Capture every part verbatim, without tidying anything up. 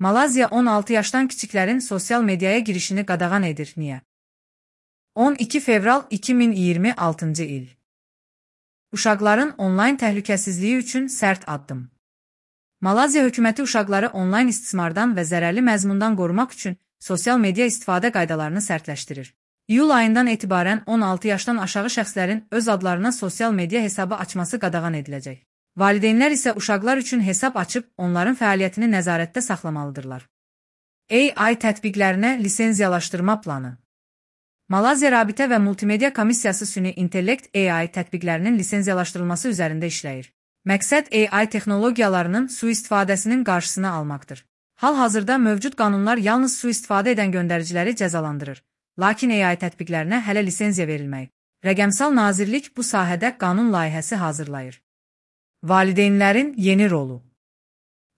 Malazya on altı yaşdan kiçiklərin sosial mediaya girişini qadağan edir. Niyə? on iki fevral iki min iyirmi altıncı il. Uşaqların onlayn təhlükəsizliyi üçün sərt addım. Malazya hökuməti uşaqları onlayn istismardan və zərərli məzmundan qorumaq üçün sosial media istifadə qaydalarını sərtləşdirir. İyul ayından etibarən on altı yaşdan aşağı şəxslərin öz adlarına sosial media hesabı açması qadağan ediləcək. Valideynlər isə uşaqlar üçün hesab açıb onların fəaliyyətini nəzarətdə saxlamalıdırlar. A I tətbiqlərinə lisenziyalaşdırma planı. Malazya Rabitə və Multimedia Komissiyası süni intellekt A I tətbiqlərinin lisenziyalaşdırılması üzərində işləyir. Məqsəd A I texnologiyalarının sui-istifadəsinin qarşısını almaqdır. Hal-hazırda mövcud qanunlar yalnız sui-istifadə edən göndəriciləri cəzalandırır, lakin A I tətbiqlərinə hələ lisenziya verilməyib. Rəqəmsal Nazirlik bu sahədə qanun layihəsi hazırlayır. Valideynlərin yeni rolu.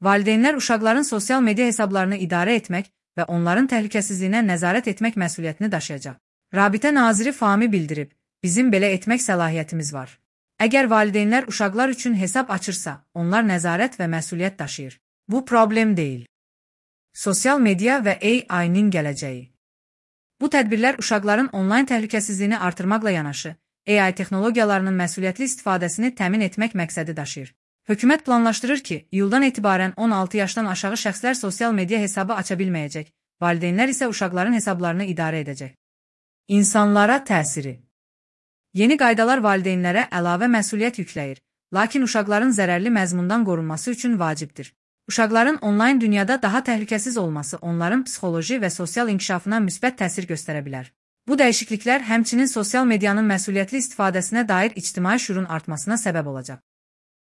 Valideynlər uşaqların sosial media hesablarını idarə etmək və onların təhlükəsizliyinə nəzarət etmək məsuliyyətini daşıyacaq. Rabitə naziri Fahmi bildirib, bizim belə etmək səlahiyyətimiz var. Əgər valideynlər uşaqlar üçün hesab açırsa, onlar nəzarət və məsuliyyət daşıyır. Bu problem deyil. Sosial media və A I-nin gələcəyi. Bu tədbirlər uşaqların onlayn təhlükəsizliyini artırmaqla yanaşı, A I texnologiyalarının məsuliyyətli istifadəsini təmin etmək məqsədi daşıyır. Hökumət planlaşdırır ki, iyuldan etibarən on altı yaşdan aşağı şəxslər sosial media hesabı aça bilməyəcək, valideynlər isə uşaqların hesablarını idarə edəcək. İnsanlara təsiri. Yeni qaydalar valideynlərə əlavə məsuliyyət yükləyir, lakin uşaqların zərərli məzmundan qorunması üçün vacibdir. Uşaqların onlayn dünyada daha təhlükəsiz olması onların psixoloji və sosial inkişafına müsbət təsir göstərə bilər. Bu dəyişikliklər həmçinin sosial medianın məsuliyyətli istifadəsinə dair ictimai şüurun artmasına səbəb olacaq.